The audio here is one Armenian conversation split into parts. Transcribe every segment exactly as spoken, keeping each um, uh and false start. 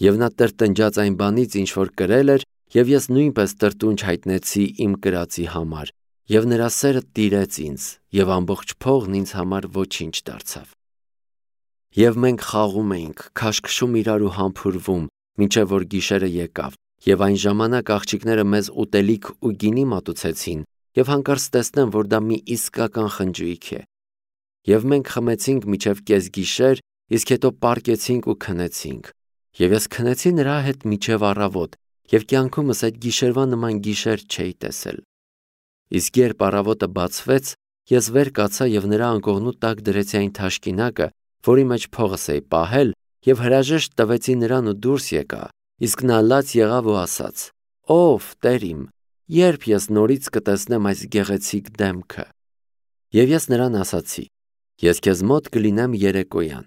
Եվ նա տրտնջաց այն բանից, ինչ որ կրել էր, և ես նույնպես տրտունջ հայտնեցի իմ կրածի համար, և նրա սերը տիրեց ինձ, և ամբողջ փողն ինձ համար ոչինչ դարձավ։ Եվ մենք խաղում էինք, քաշքշում իրար ու համբուրվում, մինչև որ գիշերը եկավ, և այն ժամանակ աղջիկները մեզ ուտելիք ու գինի մատուցեցին, և հանկարծ տեսնեմ, որ դա մի իսկական խնջույք է։ Եվ մենք խմեցինք մինչև կեսգիշեր, իսկ հետո պառկեցինք ու քնեցինք։ Եվ ես քնեցի նրա հետ մինչև առավոտ, և կյանքումս այդ գիշերվա նման գիշեր չէի տեսել։ Իսկ երբ առավոտը բացվեց, ես վեր կացա և նրա անկողնու տակ դրեցի այն թաշկինակը, որի մեջ փողս էի պահել, և հրաժեշտ տվեցի նրան ու դուրս եկա, իսկ նա լաց եղավ ու ասաց. «Ո՛վ Տեր իմ, ե՞րբ ես նորից կտեսնեմ այս գեղեցիկ դեմքը»։ Եվ ես նրան ասացի. «Ես քեզ մոտ կլինեմ երեկոյան»։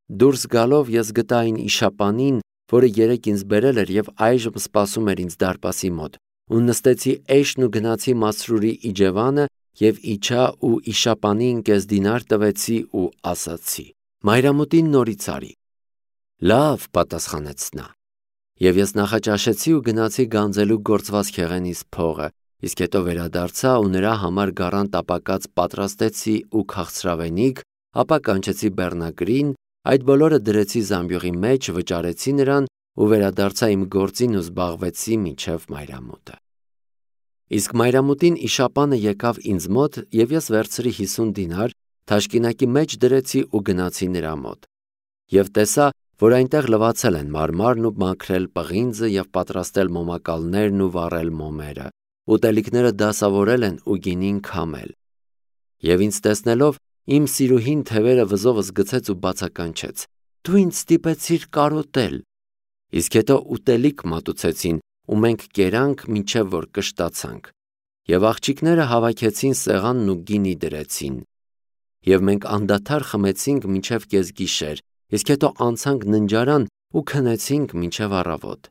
Դուրս գալով ես գտա այն իշապանին, որը երեկ ինձ բերել էր և այժմ սպասում էր ինձ դարպասի մոտ, ու նստեցի էշն ու գնացի Մասրուրի իջևանը և իջա ու իշապանին կես դինար տվեցի ու ասացի. «Մայրամուտին նորից արի»։ «Լավ», պատասխանեց նա։ Եվ ես նախաճաշեցի ու գնացի գանձելու գործված քեղենիս փողը, իսկ հետո վերադարձա ու նրա համար գառան տապակած պատրաստեցի ու քաղցրավենիք, ապա կանչեցի բեռնակրին, այդ բոլորը դրեցի զամբյուղի մեջ, վճարեցի նրան ու վերադարձա իմ գործին ու զբաղվեցի մինչև մայրամուտը։ Իսկ մայրամուտին իշապանը եկավ ինձ մոտ, և ես վերցրի հիսուն դինար, թաշկինակի մեջ դրեցի ու գնացի նրա մոտ։ Եվ տեսա, որ այնտեղ լվացել են մարմարն ու մաքրել պղինձը և պատրաստել մոմակալներն ու վառել մոմերը, ուտելիքները դասավորել են ու գինին քամել։ Եվ ինձ տեսնելով, իմ սիրուհին թևերը վզովս գցեց ու բացականչեց. «Դու ինձ ստիպեցիր կարոտել»։ Իսկ հետո ուտելիք մատուցեցին, ու մենք կերանք, մինչև որ կշտացանք։ Եվ աղջիկները հավաքեցին սեղանն ու գինի դրեցին։ Եվ մենք անդադար խմեցինք մինչև կեսգիշեր, իսկ հետո անցանք ննջարան ու քնեցինք մինչև առավոտ։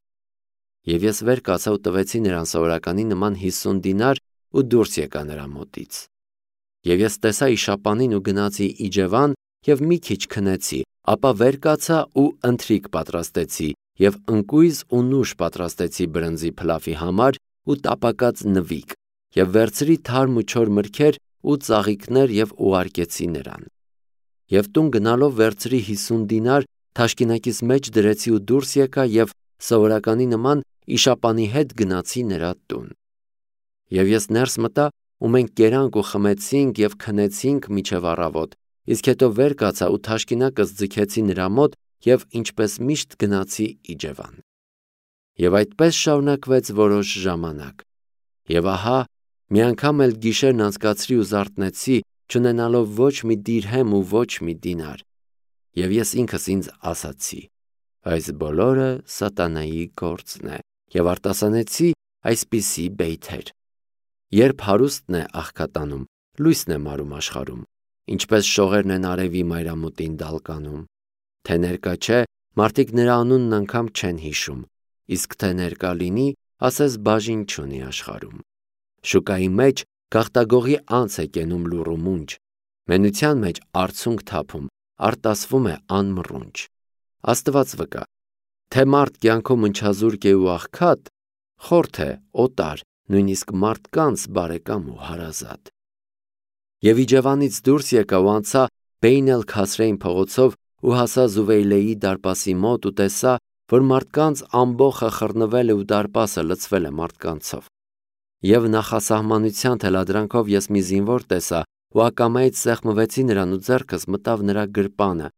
Եվ ես վեր կացա ու տվեցի նրան սովորականի նման հիսուն դինար ու դուրս եկա նրա մոտից։ Եվ ես տեսա իշապանին ու գնացի իջևան և մի քիչ քնեցի, ապա վեր կացա ու ընթրիք պատրաստեցի և ընկույզ ու նուշ պատրաստեցի բրնձի փլավի համար ու տապակած նվիկ, և վերցրի թարմ ու չոր մրգեր ու ծաղիկներ և ուղարկեցի նրան։ Եվ տուն գնալով վերցրի հիսուն դինար, թաշկինակիս մեջ դրեցի ու դուրս եկա և սովորականի նման իշապանի հետ գնացի նրա տուն։ Եվ ես ներս մտա, ու մենք կերանք ու խմեցինք և քնեցինք մինչև առավոտ, իսկ հետո վեր կացա ու թաշկինակս ձգեցի նրա մոտ և ինչպես միշտ գնացի իջևան։ Եվ այդպես շարունակվեց որոշ ժամանակ։ Եվ ահա, մի անգամ էլ գիշերն անցկացրի ու զարթնեցի, չունենալով ոչ մի դիրհեմ ու ոչ մի դինար։ Եվ ես ինքս ինձ ասացի. «Այս բոլորը սատանայի գործն է», և արտասանեցի այսպիսի բեյթեր. «Երբ հարուստն է աղքատանում, լույսն է մարում աշխարհում, ինչպես շողերն են արևի մայրամուտին դալկանում։ Թե ներկա չէ, մարդիկ նրա անունն անգամ չեն հիշում, իսկ թե ներկա լինի, ասես բաժին չունի աշխարհում։ Շուկայի մեջ գաղտագողի անց է կենում լուռ ու մունջ, մենության մեջ արցունք թափում, արտասվում է անմռունչ։ Աստված վկա, թե մարդ կյանքում ընչազուրկ է ու աղքատ, խորթ է, օտար, նույնիսկ մարդկանց բարեկամ ու հարազատ»։ Եվ իջևանից դուրս եկա ու անցա Բեյն էլ-Քասրեյն փողոցով ու հասա Զուվեյլեի դարպասի մոտ ու տեսա, որ մարդկանց ամբոխը խռնվել է ու դարպասը լցվել է մարդկանցով։ Եվ նախասահմանության թելադրանքով ես մի զինվոր տեսա ու ակամայից սեղմվեցի նրան ու ձեռքս մտավ նրա գրպանը։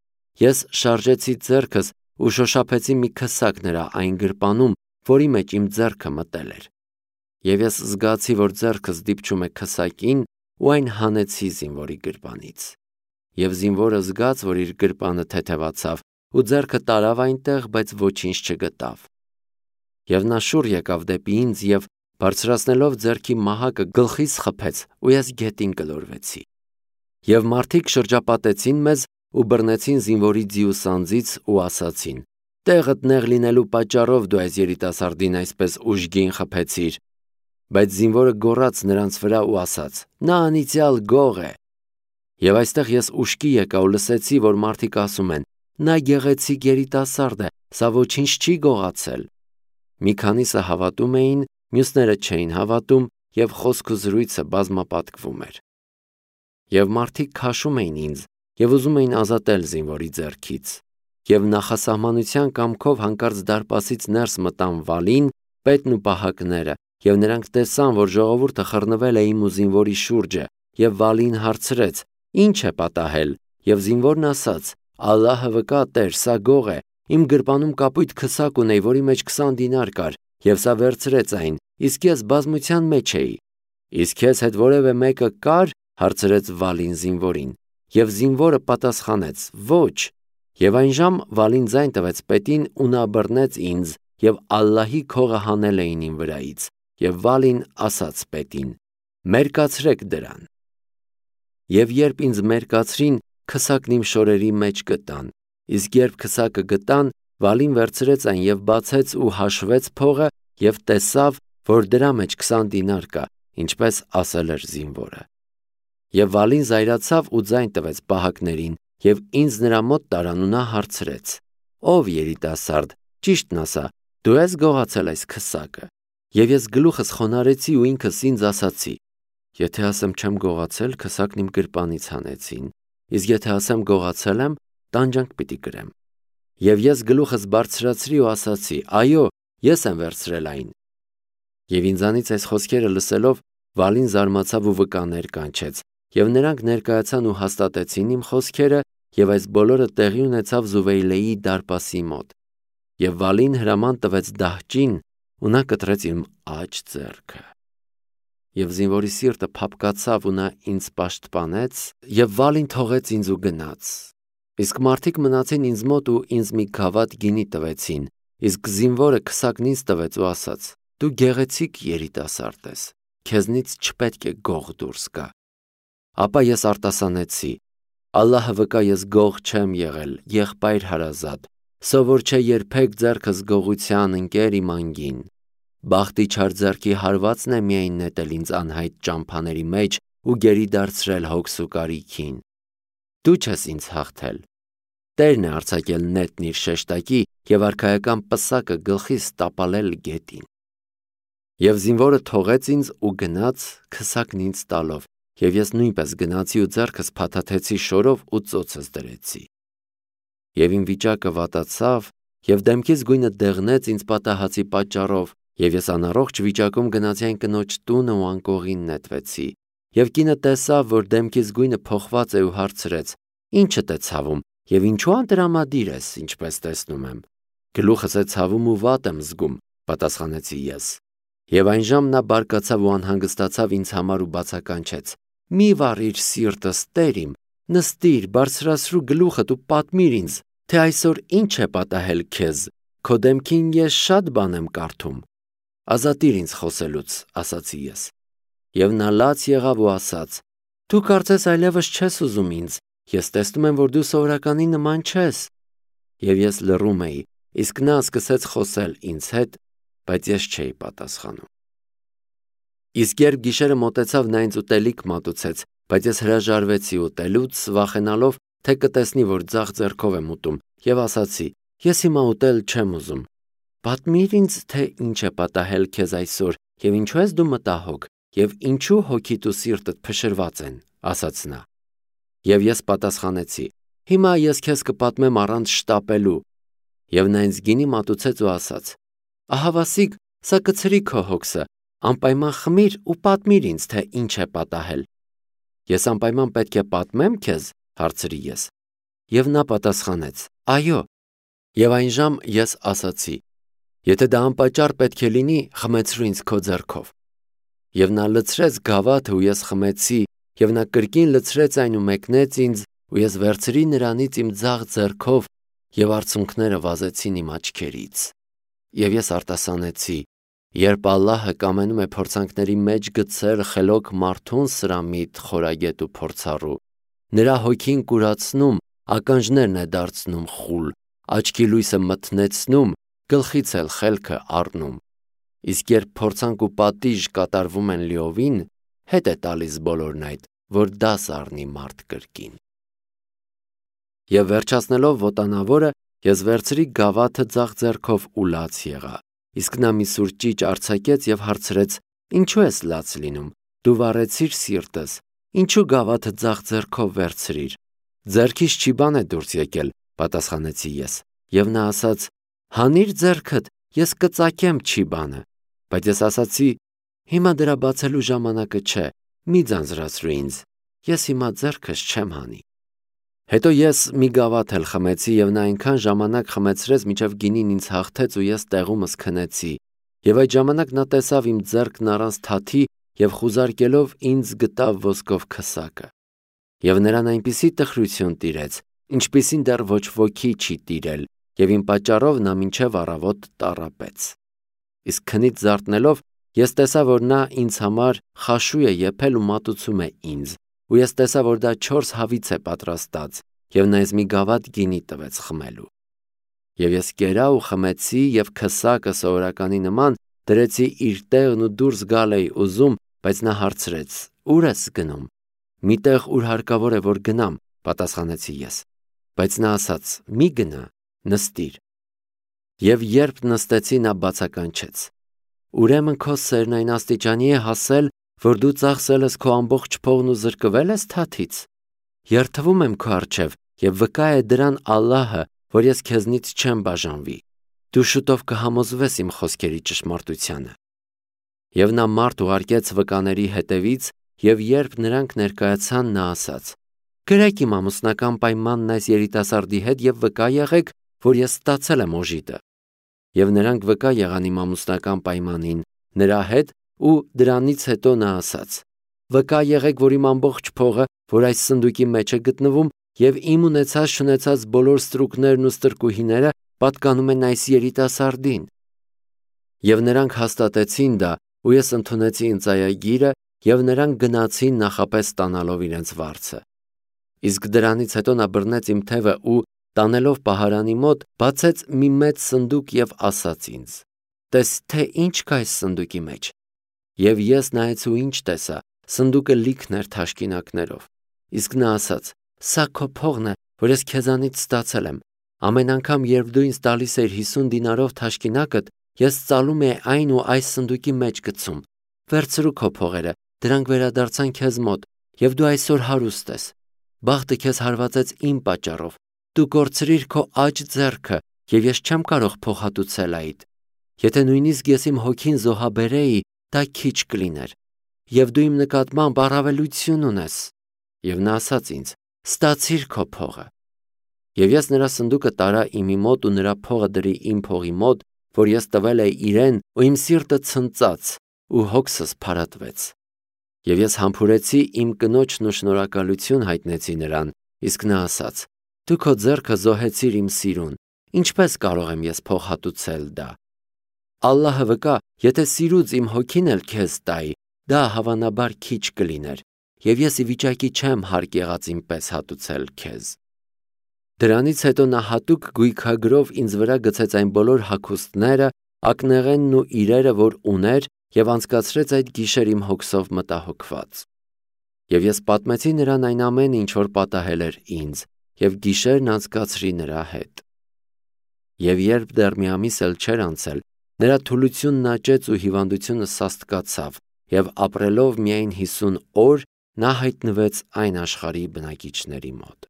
Ես շարժեցի ձեռքս ու շոշափեցի մի քսակ նրա այն գրպանում, որի մեջ իմ ձեռքը մտել էր։ Եվ ես զգացի, որ ձեռքս դիպչում է քսակին ու այն հանեցի զինվորի գրպանից։ Եվ զինվորը զգաց, որ իր գրպանը թեթևացավ ու ձեռքը տարավ այնտեղ, բայց ոչինչ չգտավ։ Եվ նա շուռ եկավ դեպի ինձ և բարձրացնելով ձեռքի մահակը գլխիս խփեց ու ես գետին գլորվեցի։ Եվ մարդիկ շրջապատեցին մեզ ու բռնեցին զինվորի ձիու սանձից ու ասացին. «Տեղդ նեղ լինելու պատճառով դու այս երիտասարդին այսպես ուժգին խփեցիր»։ Բայց զինվորը գոռաց նրանց վրա ու ասաց. «Նա անիծյալ գող է»։ Եվ այստեղ ես ուշքի եկա ու լսեցի, որ մարդիկ ասում են. «Նա գեղեցիկ երիտասարդ է, սա ոչինչ չի գողացել։ Մի քանիսը հավատում էին, մյուսները չէին հավատում, և խոսք ու զրույցը բազմապատկվում էր։ Եվ մարդիկ քաշում էին ինձ և ուզում էին ազատել զինվորի ձեռքից։ Եվ նախասահմանության կամքով հանկարծ դարպասից ներս մտան Վալին, պետն ու պահակները, և նրանք տեսան, որ ժողովուրդը խռնվել է իմ ու զինվորի շուրջը, և Վալին հարցրեց. «Ի՞նչ է պատահել»։ Եվ զինվորն ասաց. «Ալլահը վկա, Տեր, սա գող է, իմ գրպանում կապույտ քսակ ունեի, որի մեջ քսան դինար կար, և սա վերցրեց այն, իսկ ես բազմության մեջ էի»։ «Իսկ քեզ հետ որևէ մեկը կա՞ր»։ հարցրեց Վալին զինվորին։ Եվ զինվորը պատասխանեց. «Ոչ»։ Եվ այնժամ Վալին ձայն տվեց պետին ու նա բռնեց ինձ, և Ալլահի քողը հանել էին իմ վրայից։ Եվ Վալին ասաց պետին. «Մերկացրեք դրան»։ Եվ երբ ինձ մերկացրին, քսակն իմ շորերի մեջ գտան։ Իսկ երբ քսակը գտան, Վալին վերցրեց այն և բացեց ու հաշվեց փողը և տեսավ, որ դրա մեջ քսան դինար կա, ինչպես ասել էր զինվորը։ Եվ Վալին զայրացավ ու ձայն տվեց պահակներին, և ինձ նրա մոտ տարան ու նա հարցրեց. «Ով երիտասարդ, ճիշտն ասա, դու ես գողացել այս քսակը»։ Եվ ես գլուխս խոնարհեցի ու ինքս ինձ ասացի. «Եթե ասեմ չեմ գողացել, քսակն իմ գրպանից հանեցին, իսկ եթե ասեմ գողացել եմ, տանջանք պիտի կրեմ»։ Եվ ես գլուխս բարձրացրի ու ասացի. «Այո, ես եմ վերցրել այն»։ Եվ ինձանից այս խոսքերը լսելով, Վալին զարմացավ ու վկաներ կանչեց, և նրանք ներկայացան ու հաստատեցին իմ խոսքերը, և այս բոլորը տեղի ունեցավ Զուվեյլեի դարպասի մոտ։ Եվ Վալին հրաման տվեց դահճին, ու նա կտրեց իմ աջ ձեռքը։ Եվ զինվորի սիրտը փափկացավ ու նա ինձ պաշտպանեց, և Վալին թողեց ինձ ու գնաց։ Իսկ մարդիկ մնացին ինձ մոտ ու ինձ մի գավաթ գինի տվեցին, իսկ զինվորը քսակն ինձ տվեց ու ասաց. «Դու գեղեցիկ երիտասարդ ես, քեզնից չպետք է գող դուրս գա»։ Ապա ես արտասանեցի. «Ալլահը վկա, ես գող չեմ եղել, եղբայր հարազատ, սովոր չէ երբեք ձեռքս գողության ընկեր իմ անգին։ Բախտի չար ձեռքի հարվածն է միայն նետել ինձ անհայտ ճամփաների մեջ ու գերի դարձրել հոգս ու կարիքին։ Դու չես ինձ հաղթել։ Տերն է արձակել նետն իր շեշտակի և արքայական պսակը գլխիս տապալել գետին»։ Եվ զինվորը թողեց ինձ ու գնաց, քսակն ինձ տալով, և ես նույնպես գնացի ու ձեռքս փաթաթեցի շորով ու ծոցս դրեցի։ Եվ իմ վիճակը վատացավ, և դեմքիս գույնը դեղնեց ինձ պատահածի պատճառով, և ես անառողջ վիճակում գնացի այն կնոջ տունը ու անկողին նետվեցի։ Եվ կինը տեսավ, որ դեմքիս գույնը փոխված է ու հարցրեց. «Ի՞նչդ է ցավում, և ինչու անտրամադիր ես, ինչպես տեսնում եմ»։ «Գլուխս է ցավում ու վատ եմ զգում», պատասխանեցի ես։ Եվ այնժամ նա բարկացավ ու անհանգստացավ ինձ համար ու բացականչեց. «Մի վառիր սիրտս, Տեր իմ, նստիր, բարձրացրու գլուխդ ու պատմիր ինձ, թե այսօր ինչ է պատահել քեզ, քո դեմքին ես շատ բան եմ կարդում»։ «Ազատիր ինձ խոսելուց», ասացի ես։ Եվ նա լաց եղավ ու ասաց. «Դու կարծես այլևս չես ուզում ինձ, ես տեսնում եմ, որ դու սովորականի նման չես»։ Եվ ես լռում էի, իսկ նա սկսեց խոսել ինձ հետ, բայց ես չէի պատասխանում։ Իսկ երբ գիշերը մոտեցավ, նա ինձ ուտելիք մատուցեց, բայց ես հրաժարվեցի ուտելուց, վախենալով, թե կտեսնի, որ ձախ ձեռքով եմ ուտում, և ասացի. «Ես հիմա ուտել չեմ ուզում»։ «Պատմիր ինձ, թե ինչ է պատահել քեզ այսօր, և ինչու ես դու մտահոգ, և ինչու հոգիդ ու սիրտդ փշրված են», ասաց նա։ Եվ ես պատասխանեցի. «Հիմա ես քեզ կպատմեմ առանց շտապելու»։ Եվ նա ինձ գինի մատուցեց ու ասաց. «Ահավասիկ, սա կցրի քո հոգսը, անպայման խմիր ու պատմիր ինձ, թե ինչ է պատահել»։ «Ես անպայման պետք է պատմեմ քեզ», հարցրի ես։ Եվ նա պատասխանեց. «Այո»։ Եվ այնժամ ես ասացի. «Եթե դա անպատճառ պետք է լինի, խմեցրու ինձ քո ձեռքով»։ Եվ նա լցրեց գավաթը ու ես խմեցի, և նա կրկին լցրեց այն ու մեկնեց ինձ, ու ես վերցրի նրանից իմ ձախ ձեռքով, և արցունքները վազեցին իմ աչքերից։ Եվ ես արտասանեցի. «Երբ Ալլահը կամենում է փորձանքների մեջ գցել խելոք մարդուն սրամիտ, խորագետ ու փորձառու, նրա հոգին կուրացնում, ականջներն է դարձնում խուլ, աչքի լույսը մթնեցնում, գլխից էլ խելքը առնում։ Իսկ երբ փորձանք ու պատիժ կատարվում են լիովին, հետ է տալիս բոլորն այդ, որ դաս առնի մարդ կրկին»։ Եվ վերջացնելով ոտանավորը, Ես վերցրի գավաթը ձախ ձեռքով ու լաց եղա, իսկ նա մի սուր ճիճ արձակեց և հարցրեց. «Ինչու ես լաց լինում, դու վառեցիր սիրտս, ինչու գավաթը ձախ ձեռքով վերցրիր»։ «Ձեռքիս չի բան է դուրս եկել», պատասխանեցի ես, և նա ասաց. «Հանիր ձեռքդ, ես կծակեմ չի բանը»։ Բայց ես ասացի. «Հիմա դրա բացելու ժամանակը չէ, մի ձանձրացրու ինձ, ես հիմա ձեռքս չեմ հանի»։ Հետո ես մի գավաթ էլ խմեցի և նա այնքան ժամանակ խմեցրեց, մինչև գինին ինձ հաղթեց ու ես տեղումս քնեցի, և այդ ժամանակ նա տեսավ իմ ձեռքն առանց թաթի և խուզարկելով ինձ գտավ ոսկով քսակը։ Եվ նրան այնպիսի տխրություն տիրեց, ինչպիսին դեռ ոչ ոքի չի տիրել, և իմ պատճառով նա մինչև առավոտ տառապեց։ Իսկ քնից զարթնելով ես տեսա, որ նա ինձ համար խաշու է եփել ու մատուցում է ինձ, ու ես տեսա, որ դա չորս հավից է պատրաստած, և նա ինձ մի գավաթ գինի տվեց խմելու։ Եվ ես կերա ու խմեցի և քսակը սովորականի նման դրեցի իր տեղն ու դուրս գալ էի ուզում, բայց նա հարցրեց. «Ո՞ւր ես գնում»։ «Մի տեղ, ուր հարկավոր է, որ գնամ», պատասխանեցի ես։ Բայց նա ասաց. «Մի գնա, նստիր»։ Եվ երբ նստեցի, նա բացականչեց. «Ուրեմն քո սերն այն աստիճանի է հասել, որ դու ծախսել ես քո ամբողջ փողն ու զրկվել ես թաթից։ Երդվում եմ քո առջև և վկա է դրան Ալլահը, որ ես քեզնից չեմ բաժանվի։ Դու շուտով կհամոզվես իմ խոսքերի ճշմարտությանը»։ Եվ նա մարդ ուղարկեց վկաների հետևից, և երբ նրանք ներկայացան, նա ասաց. «Գրեք իմ ամուսնական պայմանն այս երիտասարդի հետ և վկա եղեք, որ ես ստացել եմ օժիտը»։ Եվ նրանք վկա եղան իմ ամուսնական պայմանին նրա հետ, ու դրանից հետո նա ասաց. «Վկա եղեք, որ իմ ամբողջ փողը, որ այս սնդուկի մեջ է գտնվում, և իմ ունեցած-չունեցած բոլոր ստրուկներն ու ստրկուհիները պատկանում են այս երիտասարդին»։ Եվ նրանք հաստատեցին դա, ու ես ընդունեցի ընծայագիրը, և նրանք գնացին նախապես ստանալով իրենց վարձը։ Իսկ դրանից հետո նա բռնեց իմ թևը ու, տանելով պահարանի մոտ, բացեց մի մեծ սնդուկ և ասաց ինձ. «Տես, թե ինչ կա այս սնդուկի մեջ»։ Եվ ես նայեցի ու ինչ տեսա. սնդուկը լիքն էր թաշկինակներով։ Իսկ նա ասաց. «Սա քո փողն է, որ ես քեզանից ստացել եմ։ Ամեն անգամ, երբ դու ինձ տալիս էիր հիսուն դինարով թաշկինակդ, ես ծալում էի այն ու այս սնդուկի մեջ գցում։ Վերցրու քո փողերը, դրանք վերադարձան քեզ մոտ, և դու այսօր հարուստ ես։ Բախտը քեզ հարվածեց իմ պատճառով։ Դու կորցրիր քո աջ ձեռքը, և ես չեմ կարող փոխհատուցել այդ։ Եթե նույնիսկ ես իմ հոգին զոհաբերեի, դա քիչ կլիներ։ Եվ դու իմ նկատմամբ առավելություն ունես»։ Եվ նա ասաց ինձ. «Ստացիր քո փողը»։ Եվ ես նրա սնդուկը տարա իմի մոտ ու նրա փողը դրի իմ փողի մոտ, որ ես տվել էի իրեն, ու իմ սիրտը ցնծաց ու հոգսս փարատվեց։ Եվ ես համբուրեցի իմ կնոջն ու շնորհակալություն հայտնեցի նրան, իսկ նա ասաց. «Դու քո ձեռքը զոհեցիր իմ սիրուն, ինչպե՞ս կարող եմ ես փոխհատուցել դա։ Ալլահը վկա, եթե սիրուց իմ հոգին էլ քեզ տայի, դա հավանաբար քիչ կլիներ, և ես ի վիճակի չեմ հարկ եղածին պես հատուցել քեզ»։ Դրանից հետո նա հատուկ գույքագրով ինձ վրա գցեց այն բոլոր հագուստները, ակնեղենն ու իրերը, որ ուներ, և անցկացրեց այդ գիշեր իմ հոգսով մտահոգված։ Եվ ես պատմեցի նրան այն ամենը, ինչ որ պատահել էր ինձ, և գիշերն անցկացրի նրա հետ։ Եվ երբ դեռ մի ամիս էլ չէր անցել, նրա թուլությունն աճեց ու հիվանդությունը սաստկացավ, և ապրելով միայն հիսուն օր, նա հայտնվեց այն աշխարհի բնակիչների մոտ։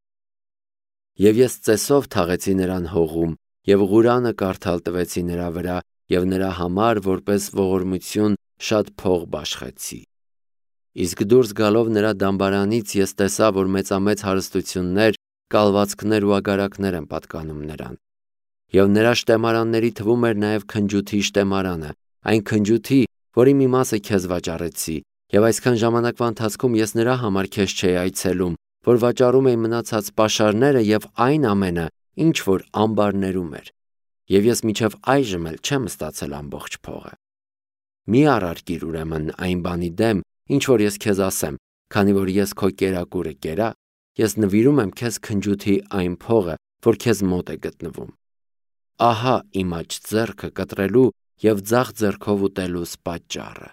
Եվ ես ծեսով թաղեցի նրան հողում, և Ղուրանը կարդալ տվեցի նրա վրա, և նրա համար որպես ողորմություն շատ փող բաշխեցի։ Իսկ դուրս գալով նրա դամբարանից ես տեսա, որ մեծամեծ հարստություններ, կալվածքներ ու ագարակներ են պատկանում նրան։ Եվ նրա շտեմարանների թվում էր նաև քնջութի շտեմարանը, այն քնջութի, որի մի մասը քեզ վաճառեցի, և այսքան ժամանակվա ընթացքում ես նրա համար քեզ չէի այցելում, որ վաճառում էի մնացած պաշարները և այն ամենը, ինչ որ ամբարներում էր։ Եվ ես մինչև այժմ էլ չեմ ստացել ամբողջ փողը։ Մի առարկիր ուրեմն այն բանի դեմ, ինչ որ ես քեզ ասեմ, քանի որ ես քո կերակուրը կերա, ես նվիրում եմ քեզ քնջութի այն փողը, որ քեզ մոտ է գտնվում։ Ահա իմ աջ ձեռքը կտրելու և ձախ ձեռքով ուտելուս պատճառը։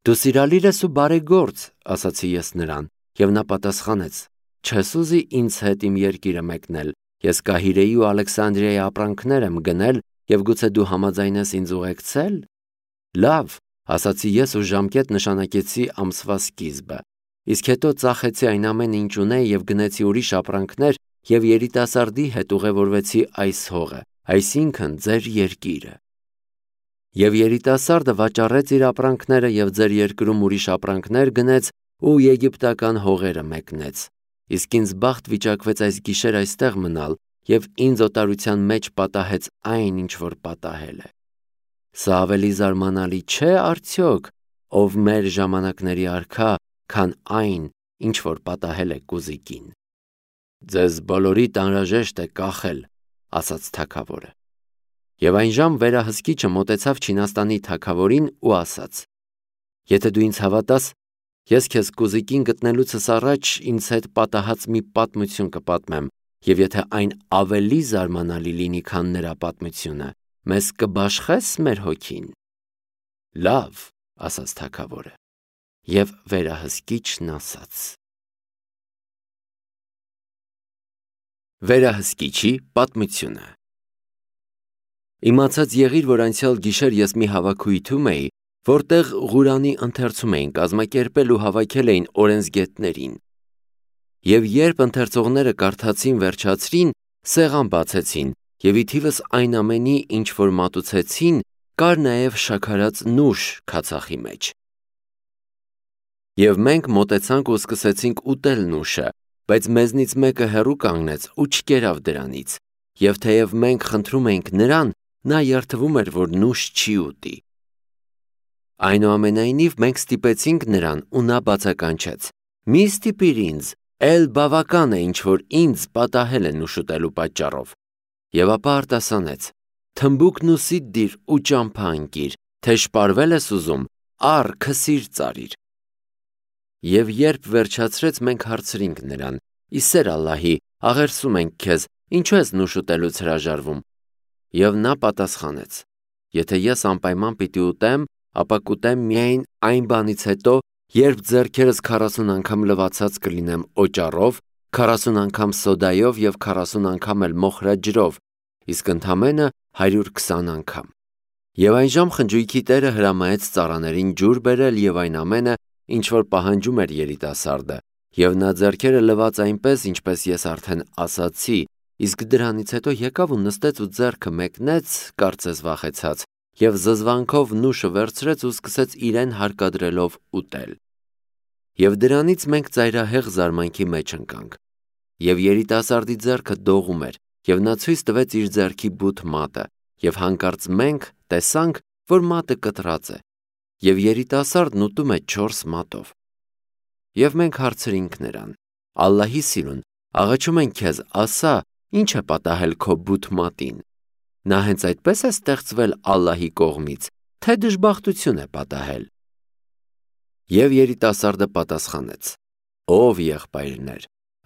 Դու սիրալիր ես ու բարեգործ, ասացի ես նրան, և նա պատասխանեց. չես ուզի ինձ հետ իմ երկիրը մեկնել Ես Կահիրեի ու Ալեքսանդրիայի ապրանքներ եմ գնել և գուցե դու համաձայն ես ինձ ուղեկցել։ Լավ, ասացի ես ու ժամկետ նշանակեցի ամսվա սկիզբը, իսկ հետո ծախեցի այն ամենը, ինչ ունեի և գնեցի ուրիշ ապրանքներ և երիտասարդի հետ ուղևորվեցի այս հողը, այսինքն ձեր երկիրը։ Եվ երիտասարդը վաճառեց իր ապրանքները և ձեր երկրում ուրիշ ապրանքներ գնեց ու եգիպտական հողերը մեկնեց, իսկ ինձ բախտ վիճակվեց այս գիշեր այստեղ մնալ և ինձ օտարության մեջ պատահեց այն, ինչ որ պատահել է։ Սա ավելի զարմանալի չէ արդյոք, ով մեր ժամանակների արքա, քան այն, ինչ որ պատահել է Կուզիկին։ Ձեզ բոլորիդ անհրաժեշտ է կախել, ասաց թագավորը։ Եվ այն ժամ վերահսկիչը մոտեցավ Չինաստանի թագավորին ու ասաց. Եթե դու ինձ հավատաս, ես քեզ Կուզիկին գտնելուցս առաջ ինձ հետ պատահած մի պատմություն կպատմեմ, և եթե այն ավելի զարմանալի լինի, քան նրա պատմությունը, մեզ կբաշխես մեր հոգին։ Լավ, ասաց թագավորը, և վերահսկիչն ասաց. Վերահսկիչի պատմությունը։ Իմացած եղիր, որ անցյալ գիշեր ես մի հավաքույթում էի, որտեղ Ղուրանի ընթերցում էին կազմակերպել ու հավաքել էին օրենսգետներին։ Եվ երբ ընթերցողները կարդացին վերջացրին, սեղան բացեցին, և ի թիվս այն ամենի, ինչ որ մատուցեցին, կար նաև շաքարած նուշ քացախի մեջ։ Եվ մենք մոտեցանք ու սկսեցինք ուտել նուշը, բայց մեզնից մեկը հեռու կանգնեց ու չկերավ դրանից, և թեև մենք խնդրում էինք նրան, նա երդվում էր, որ նուշ չի ուտի։ Այնուամենայնիվ մենք ստիպեցինք նրան ու նա բացականչեց. «Մի ստիպիր ինձ, էլ բավական է, ինչ որ ինձ պատահել է նուշ ուտելու պատճառով»։ Եվ ապա արտասանեց. «Թմբուկ նուսիդ դիր ու ճամփա ընկիր, թե շպարվել ես ուզում, առ քսիր ծարիր»։ Եվ երբ վերջացրեց, մենք հարցրինք նրան. «Ի սեր Ալլահի, աղերսում ենք քեզ, ինչու ես նուշ ուտելուց հրաժարվում»։ Եվ նա պատասխանեց. «Եթե ես անպայման պիտի ուտեմ, ապա կուտեմ միայն այն բանից հետո, երբ ձեռքերս քառասուն անգամ լվացած կլինեմ օճառով, քառասուն անգամ սոդայով և քառասուն անգամ էլ մոխրած ջրով, իսկ ընդամենը հարյուր քսան անգամ»։ Եվ այնժամ խնջույքի տերը հրամայեց ծառաներին ջուր բերել և այն ամենը, ինչ որ պահանջում էր երիտասարդը, և նա ձեռքերը լվաց այնպես, ինչպես ես արդեն ասացի, իսկ դրանից հետո եկավ ու նստեց ու ձեռքը մեկնեց, կարծես վախեցած, և զզվանքով նուշը վերցրեց ու սկսեց իրեն հարկադրելով ուտել։ Եվ դրանից մենք ծայրահեղ զարմանքի մեջ ընկանք։ Եվ երիտասարդի ձեռքը դողում էր, և նա ցույց տվեց իր ձեռքի բութ մատը, և հանկարծ մենք տեսանք, որ մատը կտրած է, և երիտասարդն ուտում է չորս մատով։ Եվ մենք հարցրինք նրան. «Ալլահի սիրուն, աղաչում ենք քեզ, ասա, ի՞նչ է պատահել քո բութ մատին։ Նա հենց այդպես է ստեղծվել Ալլահի կողմից, թե դժբախտություն է պատահել»։ Եվ երիտասարդը պատասխանեց. «Ով եղբայրներ,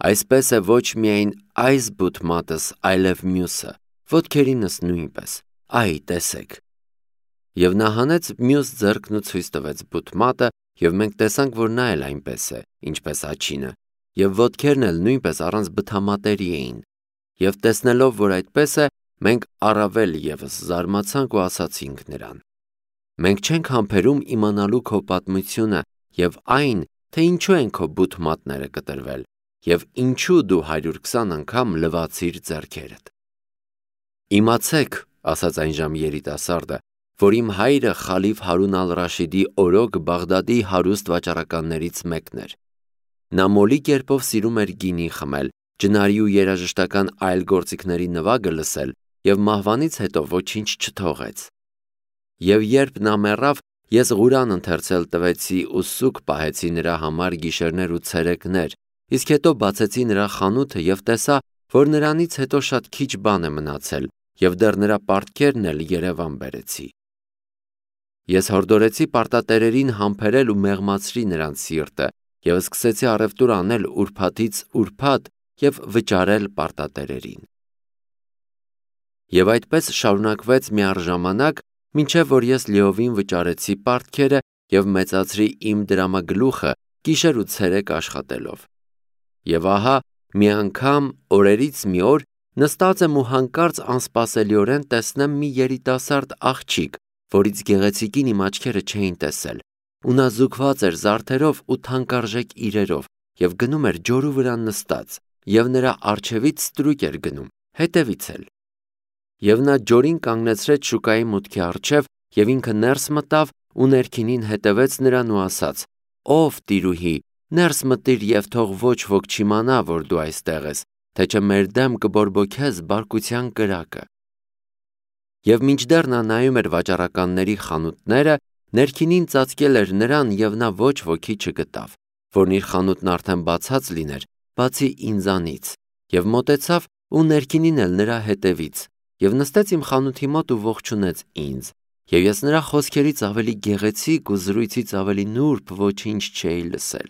այսպես է ոչ միայն այս բութ մատս, այլև մյուսը, ոտքերինս նույնպես, այ տեսեք»։ Եվ նա հանեց մյուս ձեռքն ու ցույց տվեց բութ մատը, և մենք տեսանք, որ նա էլ այնպես է, ինչպես աջինը, և ոտքերն էլ նույնպես առանց բթամատերի էին։ Եվ տեսնելով, որ այդպես է, մենք առավել ևս զարմացանք ու ասացինք նրան. «Մենք չենք համբերում իմանալու քո պատմությունը և այն, թե ինչու են քո բութ մատները կտրվել, և ինչու դու հարյուր քսան անգամ լվացիր ձեռքերդ»։ «Իմացեք, ասաց այնժամ երիտասարդը, որ իմ հայրը խալիֆ Հարուն ալ-Ռաշիդի օրոք Բաղդադի հարուստ վաճառականներից մեկն էր։ Նա մոլի կերպով սիրում էր գինի խմել, ջնարի ու երաժշտական այլ գործիքների նվագը լսել և մահվանից հետո ոչինչ չթողեց։ Եվ երբ նա մեռավ, ես Ղուրան ընթերցել տվեցի ու սուգ պահեցի նրա համար գիշերներ ու ցերեկներ, իսկ հետո բացեցի նրա խանութը և տեսա, որ նրանից հետո շատ քիչ բան է մնացել, և դեռ նրա պարտքերն էլ երևան բերեցի։ Ես հորդորեցի պարտատերերին համբերել ու մեղմացրի նրանց սիրտը և սկսեցի առևտուր անել ուրբաթից ուրբաթ և վճարել պարտատերերին։ Եվ այդպես շարունակվեց միառժամանակ, մինչև որ ես լիովին վճարեցի պարտքերը և մեծացրի իմ դրամագլուխը գիշեր ու ցերեկ աշխատելով։ Եվ ահա մի անգամ օրերից մի օր Նստած եմ ու հանկարծ անսպասելիորեն տեսնեմ մի երիտասարդ աղջիկ, որից գեղեցիկին իմ աչքերը չէին տեսել, ու նա զուգված էր զարդերով ու թանկարժեք իրերով և գնում էր ջորու վրա նստած, և նրա առջևից ստրուկ էր գնում, հետևից էլ։ Եվ նա ջորին կանգնեցրեց շուկայի մուտքի առջև և ինքը ներս մտավ ու ներքինին հետևեց նրան ու ասաց. «Ով տիրուհի, ներս մտիր և թող ոչ ոք չիմանա, որ դու այստեղ ես, թե չէ մեր դեմ կբորբոքես բարկության կրակը»։ Եվ մինչդեռ նա նայում էր վաճառականների խանութները, ներքինին ծածկել էր նրան և նա ոչ ոքի չգտավ, որն իր խանութն արդեն բացած լիներ, բացի ինձանից, և մոտեցավ ու ներքինին էլ նրա հետևից, և նստեց իմ խանութի մոտ ու ողջունեց ինձ, և ես նրա խոսքերից ավելի գեղեցիկ ու զրույցից ավելի նուրբ ոչինչ չէի լսել։